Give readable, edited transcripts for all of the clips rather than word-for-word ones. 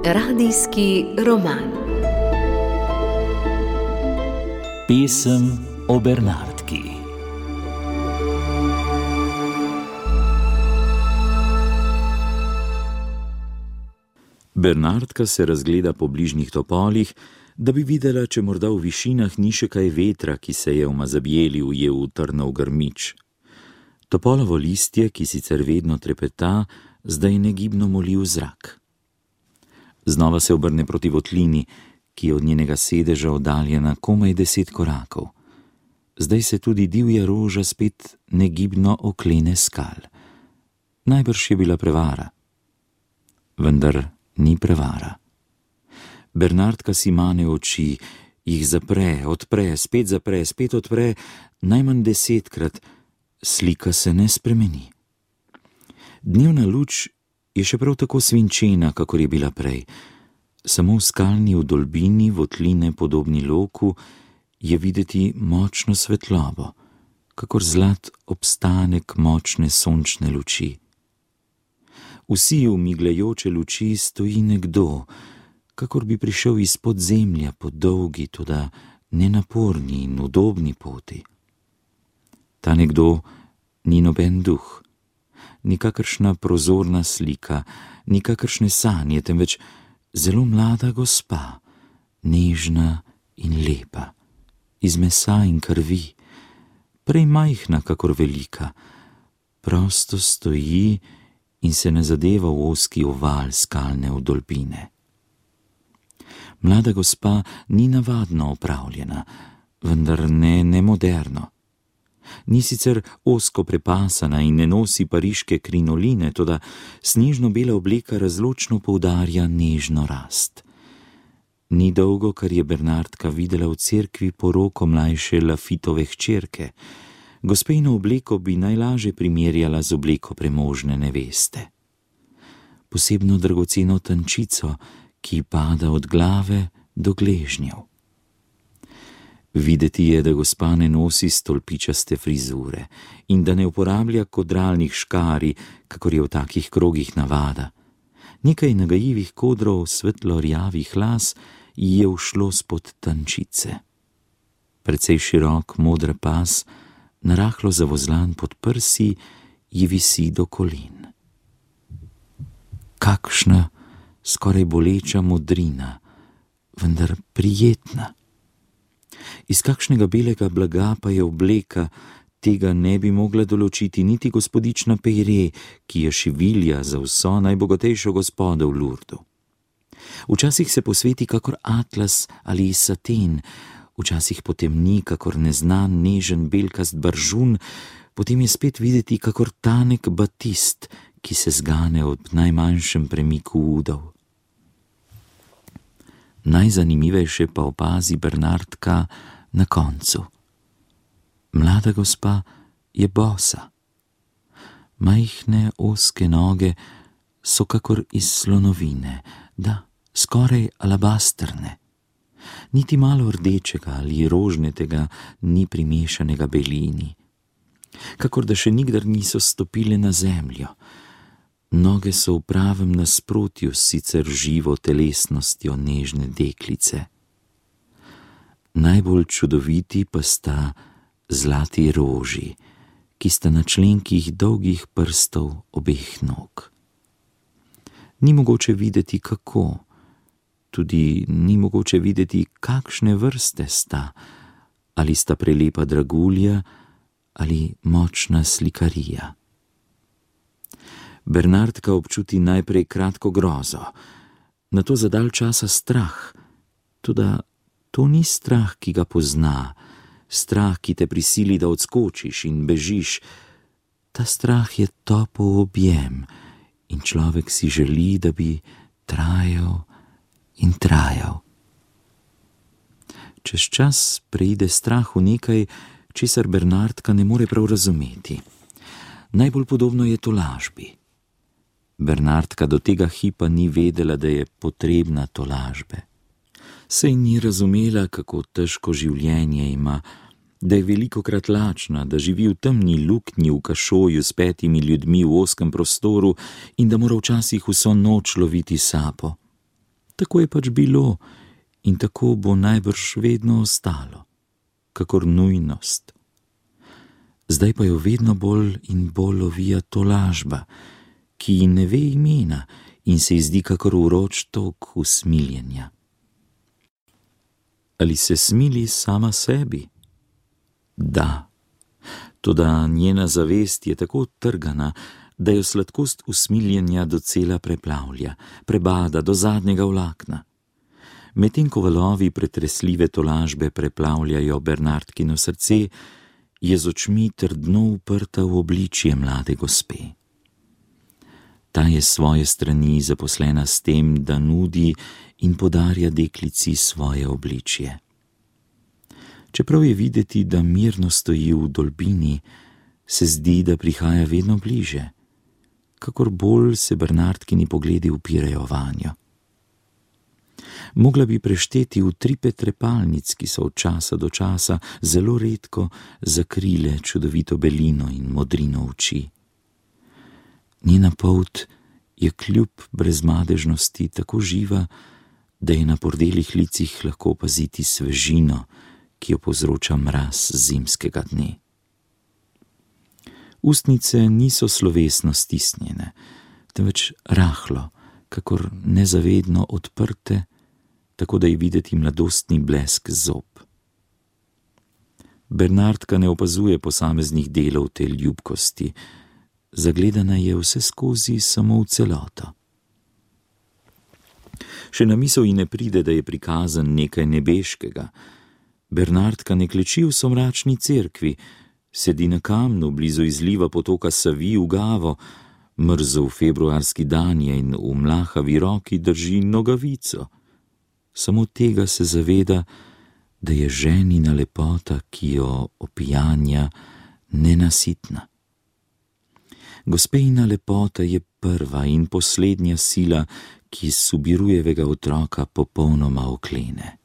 Radijski roman. Pesem o Bernardki. Bernardka se razgleda po bližnjih topolih, da bi videla, če morda v višinah ni še kaj vetra, ki se je v Mazabjeli ujel v trnov grmič. Topolovo listje, ki sicer vedno trepeta, zdaj negibno moli v zrak. Znova se obrne proti votlini, ki je od njenega sedeža oddaljena komaj 10 korakov. Zdaj se tudi divja roža spet negibno oklene skal. Najbrž je bila prevara. Vendar ni prevara. Bernardka si mane oči, jih zapre, odpre, spet odpre, najmanj 10-krat, slika se ne spremeni. Dnevna luč je še prav tako svinčena, kakor je bila prej. Samo v skalni vdolbini votline podobni loku je videti močno svetlobo, kakor zlat obstanek močne sončne luči. Vsi v migljajoče luči stoji nekdo, kakor bi prišel iz podzemlja po dolgi, toda nenaporni in udobni poti. Ta nekdo ni noben duh, nikakršna prozorna slika, nikakršne sanje, temveč zelo mlada gospa, nežna in lepa, iz mesa in krvi, prej majhna kakor velika, prosto stoji in se ne zadeva v ozki oval skalne vdolbine. Mlada gospa ni navadno opravljena, vendar ne moderno. Ni sicer ozko prepasana in ne nosi pariške krinoline, toda snežno-bela obleka razločno poudarja nežno rast. Ni dolgo, kar je Bernardka videla v cerkvi poroko mlajše Lafitove hčerke. Gospejno obleko bi najlaže primerjala z obleko premožne neveste. Posebno dragoceno tančico, ki pada od glave do gležnjev. Videti je, da gospa ne nosi stolpičaste frizure in da ne uporablja kodralnih škarij, kakor je v takih krogih navada. Nekaj nagajivih kodrov svetlo-rjavih las ji je ušlo spod tančice. Precej širok modr pas, narahlo zavozlan pod prsi, ji visi do kolen. Kakšna skoraj boleča modrina, vendar prijetna. Iz kakšnega belega blaga pa je obleka, tega ne bi mogla določiti niti gospodična Peyre, ki je šivilja za vso najbogatejšo gospodo v Lurdu. Včasih se posveti kakor atlas ali saten, včasih potemni kakor neznan nežen belkast baržun, potem je spet videti kakor tanek batist, ki se zgane ob najmanjšem premiku udov. Najzanimivejše pa opazi Bernardka na koncu. Mlada gospa je bosa. Majhne ozke noge so kakor iz slonovine, da skoraj alabastrne. Niti malo rdečega ali rožnetega ni primešanega belini. Kakor da še nikdar niso stopile na zemljo. Noge so v pravem nasprotju s sicer živo telesnostjo nežne deklice. Najbolj čudoviti pa sta zlati roži, ki sta na členkih dolgih prstov obeh nog. Ni mogoče videti kako, tudi ni mogoče videti, kakšne vrste sta, ali sta prelepa dragulja ali močna slikarija. Bernardka občuti najprej kratko grozo, nato za dalj časa strah, toda to ni strah, ki ga pozna, strah, ki te prisili, da odskočiš in bežiš. Ta strah je topel objem in človek si želi, da bi trajal in trajal. Čez čas preide strah v nekaj, česar Bernardka ne more prav razumeti. Najbolj podobno je tolažbi. Bernardka do tega hipa ni vedela, da je potrebna tolažbe. Saj ni razumela, kako težko življenje ima, da je velikokrat lačna, da živi v temni luknji v kašoju s 5 ljudmi v ozkem prostoru in da mora včasih vso noč loviti sapo. Tako je pač bilo in tako bo najbrž vedno ostalo, kakor nujnost. Zdaj pa jo vedno bolj in bolj lovija tolažba, ki ji ne ve imena in se ji zdi kakor vroč tok usmiljenja. Ali se smili sama sebi? Da, toda njena zavest je tako trgana, da jo sladkost usmiljenja docela preplavlja, prebada do zadnjega vlakna. Medtem ko valovi pretresljive tolažbe preplavljajo Bernardkino srce, je z očmi trdno uprta v obličje mlade gospe. Ta je s svoje strani zaposlena s tem, da nudi in podarja deklici svoje obličje. Čeprav je videti, da mirno stoji v dolbini, se zdi, da prihaja vedno bliže, kakor bolj se Bernardkini pogledi upirajo vanjo. Mogla bi prešteti utripe trepalnic, ki so od časa do časa zelo redko zakrile čudovito belino in modrino oči. Njena polt je kljub brezmadežnosti tako živa, da je na pordelih licih lahko opaziti svežino, ki jo povzroča mraz zimskega dne. Ustnice niso slovesno stisnjene, temveč rahlo, kakor nezavedno odprte, tako da je videti mladostni blesk zob. Bernardka ne opazuje posameznih delov te ljubkosti, zagledana je vse skozi samo v celoto. Še na misel ji ne pride, da je prikazan nekaj nebeškega. Bernardka ne kleči v somračni cerkvi, sedi na kamnu blizu izliva potoka Savi v Gavo, mrzel februarski dan je in v mlahavi roki drži nogavico. Samo tega se zaveda, da je ženina lepota, ki jo opijanja, nenasitna. Gospejina lepota je prva in poslednja sila, ki Subirujevega otroka popolnoma oklene.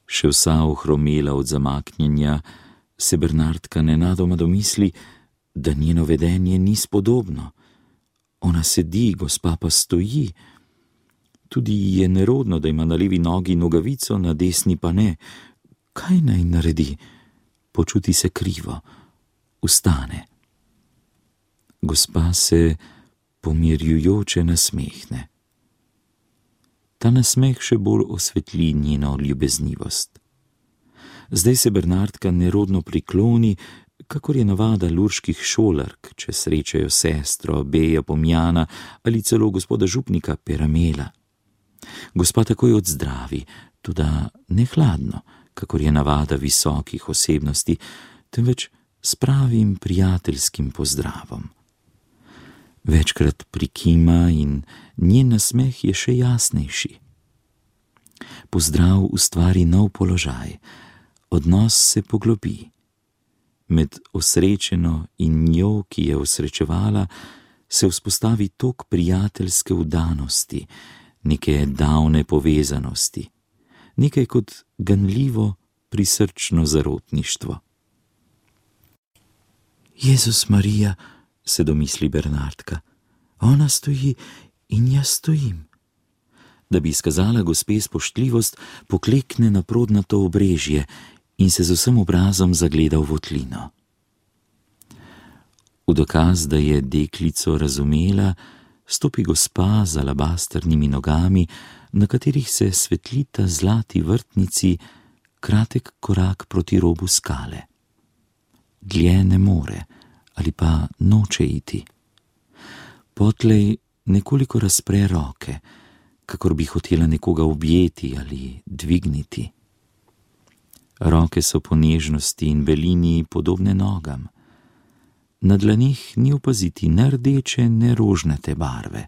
Še vsa ohromela od zamaknjenja, se Bernardka nenadoma domisli, da njeno vedenje ni spodobno. Ona sedi, gospa pa stoji. Tudi je nerodno, da ima na levi nogi nogavico, na desni pa ne. Kaj naj naredi? Počuti se krivo. Vstane. Gospa se pomirjujoče nasmehne. Ta nasmeh še bolj osvetli njeno ljubeznivost. Zdaj se Bernardka nerodno prikloni, kakor je navada lurških šolark, če srečajo sestro Beja Pomjana ali celo gospoda župnika Peramela. Gospa takoj odzdravi, toda ne hladno, kakor je navada visokih osebnosti, temveč s pravim prijateljskim pozdravom. Večkrat prikima in njen nasmeh je še jasnejši. Pozdrav ustvari nov položaj, odnos se poglobi. Med osrečeno in njo, ki je osrečevala, se vzpostavi tok prijateljske vdanosti, neke davne povezanosti, nekaj kot ganljivo prisrčno zarotništvo. Jezus Marija, se domisli Bernardka, ona stoji in jaz stojim. Da bi izkazala gospe spoštljivost, poklekne na prodnato obrežje in se z vsem obrazom zagleda v votlino. V dokaz, da je deklico razumela, stopi gospa z alabastrnimi nogami, na katerih se svetlita zlati vrtnici, kratek korak proti robu skale. Dlje ne more ali pa noče iti. Potlej nekoliko razpre roke, kakor bi hotela nekoga objeti ali dvigniti. Roke so po nežnosti in belini podobne nogam. Na dlanih ni opaziti ne rdeče, ne rožnate barve.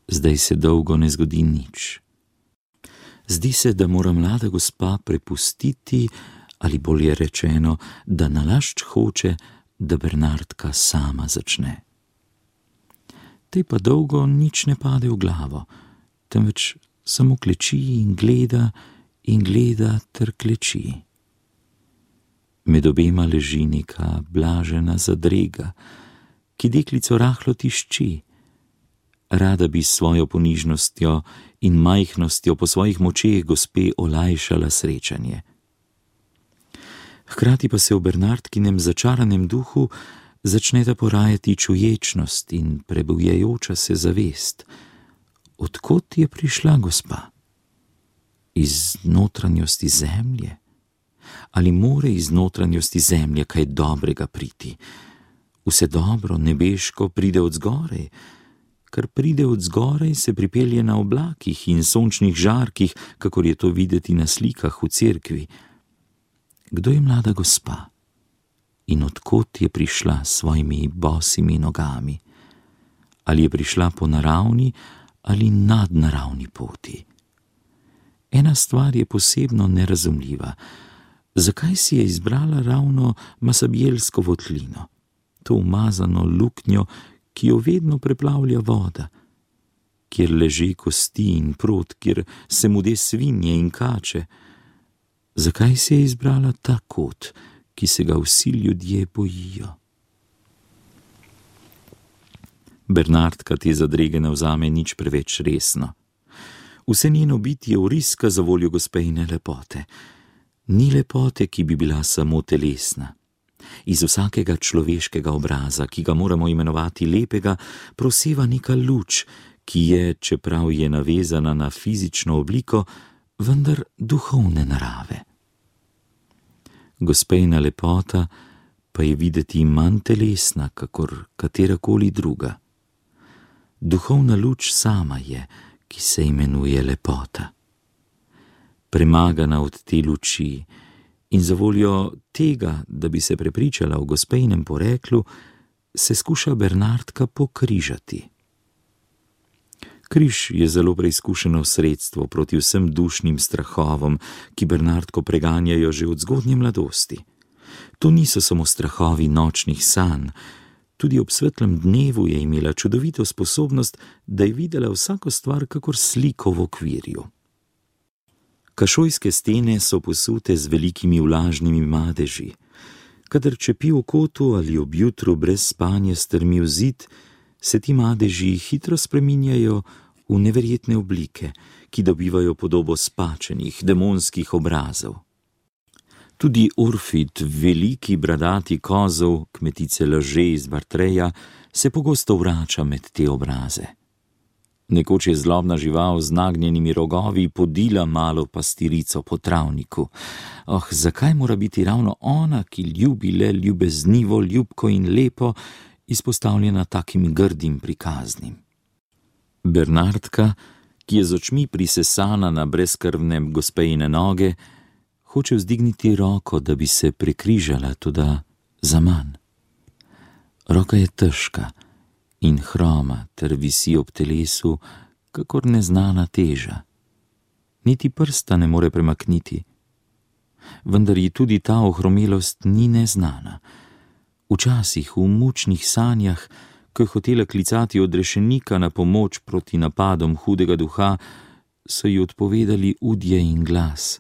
Zdaj se dolgo ne zgodi nič. Zdi se, da mora mlada gospa prepustiti, ali bolje rečeno, da nalašč hoče, da Bernardka sama začne. Tej pa dolgo nič ne pade v glavo, temveč samo kleči in gleda in gleda ter kleči. Med obema leži neka blažena zadrega, ki deklico rahlo tišči. Rada bi s svojo ponižnostjo in majhnostjo po svojih močeh gospe olajšala srečanje. Hkrati pa se v Bernardkinem začaranem duhu začneta porajati čuječnost in prebujajoča se zavest. Odkot je prišla gospa? Iz notranjosti zemlje? Ali more iz notranjosti zemlje kaj dobrega priti? Vse dobro, nebeško, pride od zgoraj. Kar pride od zgoraj, se pripelje na oblakih in sončnih žarkih, kakor je to videti na slikah v cerkvi. Kdo je mlada gospa? In odkot je prišla s svojimi bosimi nogami? Ali je prišla po naravni ali nadnaravni poti? Ena stvar je posebno nerazumljiva. Zakaj si je izbrala ravno Masabjelsko votlino, to umazano luknjo, ki jo vedno preplavlja voda, kjer leži kosti in prot, kjer se mude svinje in kače? Zakaj si je izbrala ta kot, ki se ga vsi ljudje bojijo? Bernardka te zadrege ne vzame nič preveč resno. Vse njeno bitje vriska za voljo gospejine lepote. Ni lepote, ki bi bila samo telesna. Iz vsakega človeškega obraza, ki ga moramo imenovati lepega, proseva neka luč, ki je, čeprav je navezana na fizično obliko, vendar duhovne narave. Gospejna lepota pa je videti manj telesna, kakor katerakoli druga. Duhovna luč sama je, ki se imenuje lepota. Premagana od te luči in za voljo tega, da bi se prepričala o gospejnem poreklu, se skuša Bernardka pokrižati. Križ je zelo preizkušeno sredstvo proti vsem dušnim strahovom, ki Bernardko preganjajo že od zgodnje mladosti. To niso samo strahovi nočnih sanj, tudi ob svetlem dnevu je imela čudovito sposobnost, da je videla vsako stvar kakor sliko v okvirju. Kašojske stene so posute z velikimi vlažnimi madeži. Kadar čepi v kotu ali ob jutru brez spanja strmi v zid, se ti madeži hitro spreminjajo v neverjetne oblike, ki dobivajo podobo spačenih, demonskih obrazov. Tudi Urfit, veliki bradati kozov, kmetice Laže iz Vartreja, se pogosto vrača med te obraze. Nekoč je zlobna žival z nagnjenimi rogovi podila malo pastirico po travniku. Zakaj mora biti ravno ona, ki ljubi le ljubeznivo, ljubko in lepo, izpostavljena takim grdim prikaznim? Bernardka, ki je z očmi prisesana na brezkrvne gospejine noge, hoče vzdigniti roko, da bi se prekrižala, toda zaman. Roka je težka in hroma ter visi ob telesu, kakor neznana teža. Niti prsta ne more premakniti. Vendar ji tudi ta ohromelost ni neznana. Včasih v mučnih sanjah, ko je hotela klicati odrešenika na pomoč proti napadom hudega duha, so ji odpovedali udje in glas.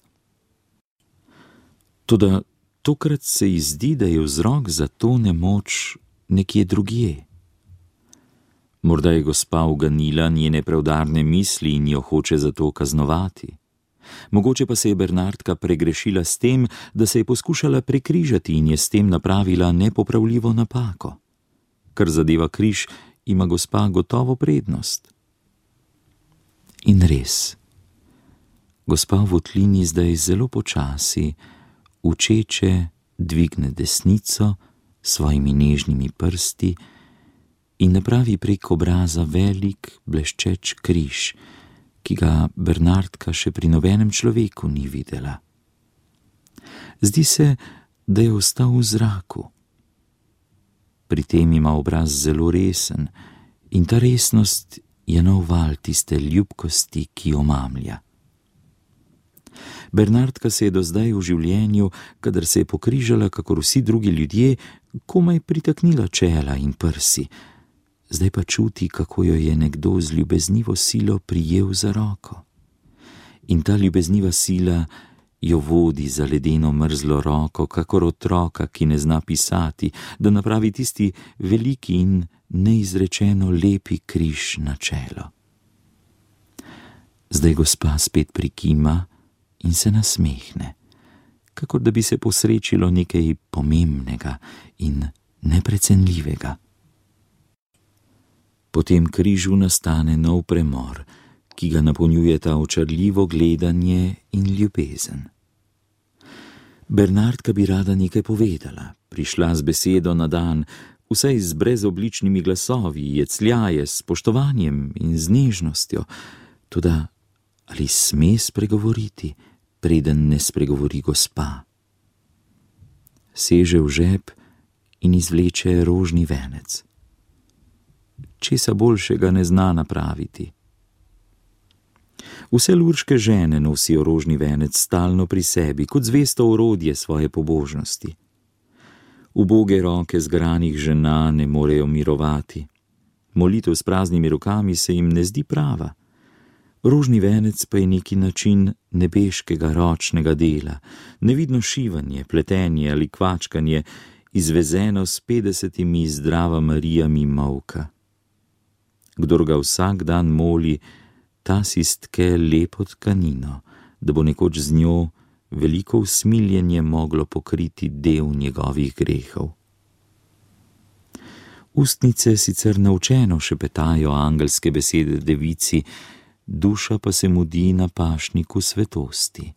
Toda tokrat se ji zdi, da je vzrok za to nemoč nekje drugje. Morda je gospa uganila njene preudarne misli in jo hoče zato kaznovati. Mogoče pa se je Bernardka pregrešila s tem, da se je poskušala prekrižati in je s tem napravila nepopravljivo napako. Kar zadeva križ, ima gospa gotovo prednost. In res, gospa v votlini zdaj zelo počasi, učeče dvigne desnico s svojimi nežnimi prsti in napravi prek obraza velik, bleščeč križ, ki ga Bernardka še pri nobenem človeku ni videla. Zdi se, da je ostal v zraku. Pri tem ima obraz zelo resen in ta resnost je nov val tiste ljubkosti, ki jo mamlja. Bernardka se je do zdaj v življenju, kadar se je pokrižala, kakor vsi drugi ljudje, komaj pritaknila čela in prsi. Zdaj pa čuti, kako jo je nekdo z ljubeznivo silo prijel za roko. in ta ljubezniva sila jo vodi za ledeno mrzlo roko, kakor otroka, ki ne zna pisati, da napravi tisti veliki in neizrečeno lepi križ na čelo. Zdaj gospa spet prikima in se nasmehne, kakor da bi se posrečilo nekaj pomembnega in neprecenljivega. Po tem križu nastane nov premor, ki ga napolnjujeta očarljivo gledanje in ljubezen. Bernardka bi rada nekaj povedala, prišla z besedo na dan, vsaj z brezobličnimi glasovi, jecljaje, s spoštovanjem in z nežnostjo, toda ali sme spregovoriti, preden ne spregovori gospa? Seže v žep in izvleče rožni venec. Česa boljšega ne zna napraviti. Vse lurške žene nosijo rožni venec stalno pri sebi, kot zvesto orodje svoje pobožnosti. Uboge roke zgranih žena ne morejo mirovati. Molitev s praznimi rokami se jim ne zdi prava. Rožni venec pa je neki način nebeškega ročnega dela, nevidno šivanje, pletenje ali kvačkanje, izvezeno s 50 Zdrava Marijami molka. Kdor ga vsak dan moli, ta si stke lepo tkanino, da bo nekoč z njo veliko usmiljenje moglo pokriti del njegovih grehov. Ustnice sicer naučeno šepetajo angelske besede devici, duša pa se mudi na pašniku svetosti.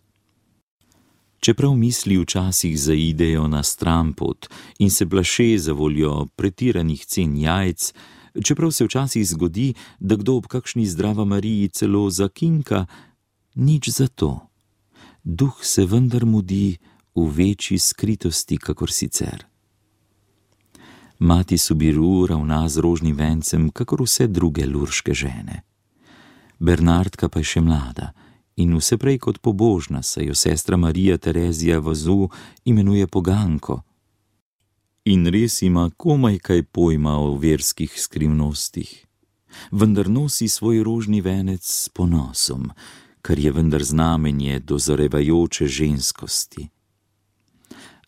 Čeprav misli včasih zaidejo na stranpot in se plaše zavoljo pretiranih cen jajc, čeprav se včasih zgodi, da kdo ob kakšni Zdrava Mariji celo zakinka, nič zato. Duh se vendar mudi v večji skritosti, kakor sicer. Mati Subiru ravna z rožnim vencem, kakor vse druge lurške žene. Bernardka pa je še mlada in vse prej kot pobožna, saj jo sestra Marija Terezija Vazu imenuje poganko. In res ima komaj kaj pojma o verskih skrivnostih. Vendar nosi svoj rožni venec s ponosom, kar je vendar znamenje dozorevajoče ženskosti.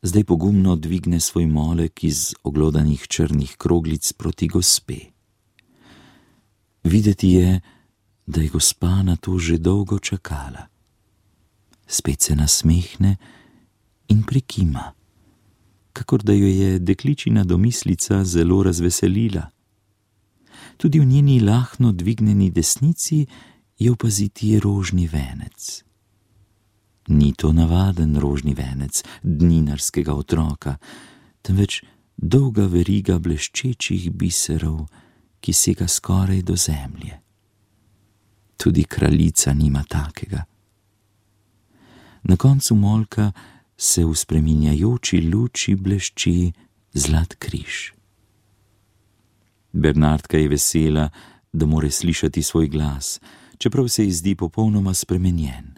Zdaj pogumno dvigne svoj molek iz oglodanih črnih kroglic proti gospe. Videti je, da je gospa na to že dolgo čakala. Spet se nasmehne in prikima, kakor da jo je dekličina domislica zelo razveselila. Tudi v njeni lahno dvignjeni desnici je opaziti rožni venec. Ni to navaden rožni venec dninarskega otroka, temveč dolga veriga bleščečih biserov, ki sega skoraj do zemlje. Tudi kraljica nima takega. Na koncu molka se v spreminjajoči luči blešči zlat križ. Bernardka je vesela, da more slišati svoj glas, čeprav se ji zdi popolnoma spremenjen.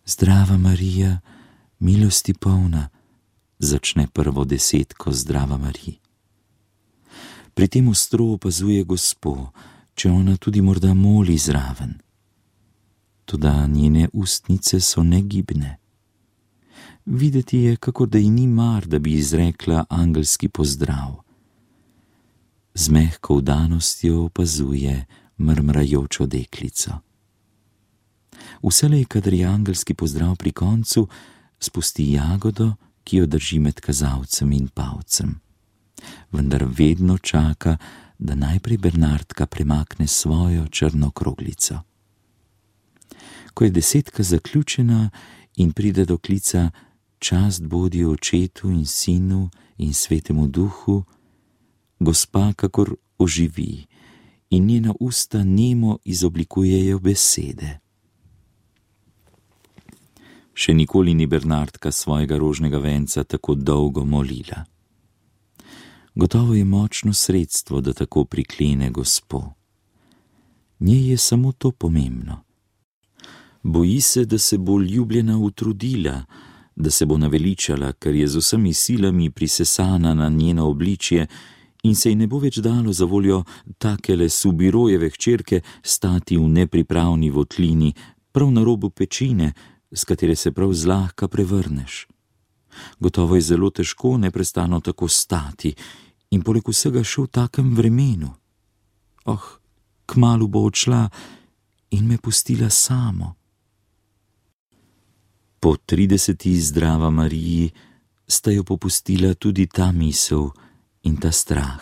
Zdrava Marija, milosti polna, začne prvo desetko Zdrava Marij. Pri tem ostro opazuje gospo, če ona tudi morda moli zraven. Toda njene ustnice so negibne. Videti je, kakor da ji ni mar, da bi izrekla angelski pozdrav. Z mehko vdanostjo opazuje mrmrajočo deklico. Vselej, kadar je angelski pozdrav pri koncu, spusti jagodo, ki jo drži med kazalcem in palcem. Vendar vedno čaka, da najprej Bernardka premakne svojo črno kroglico. Ko je desetka zaključena in pride do klica Čast bodi Očetu in Sinu in Svetemu Duhu, gospa kakor oživi in njena usta nemo izoblikujejo besede. Še nikoli ni Bernardka svojega rožnega venca tako dolgo molila. Gotovo je močno sredstvo, da tako priklene gospo. Njej je samo to pomembno. Boji se, da se bo ljubljena utrudila, da se bo naveličala, ker je z vsemi silami prisesana na njeno obličje in se ji ne bo več dalo zavoljo takele Subirojeve hčerke stati v nepripravni votlini, prav na robu pečine, z katere se prav zlahka prevrneš. Gotovo je zelo težko neprestano tako stati in poleg vsega še v takem vremenu. Kmalu bo odšla in me pustila samo. Po 30. zdrava Mariji sta jo popustila tudi ta misel in ta strah.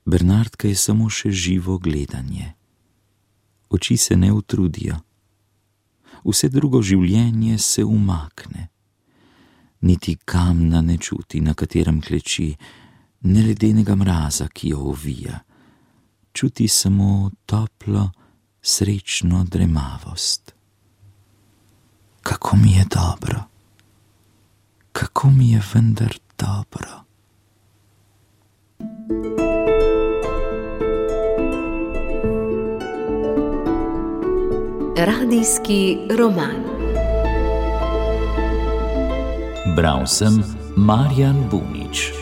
Bernardka je samo še živo gledanje. Oči se ne utrudijo. Vse drugo življenje se umakne. Niti kamna ne čuti, na katerem kleči, ne ledenega mraza, ki jo ovija. Čuti samo toplo, srečno dremavost. Kako mi je dobro. Kako mi je vendar dobro. Radijski roman. Bral sem Marjan Bunič.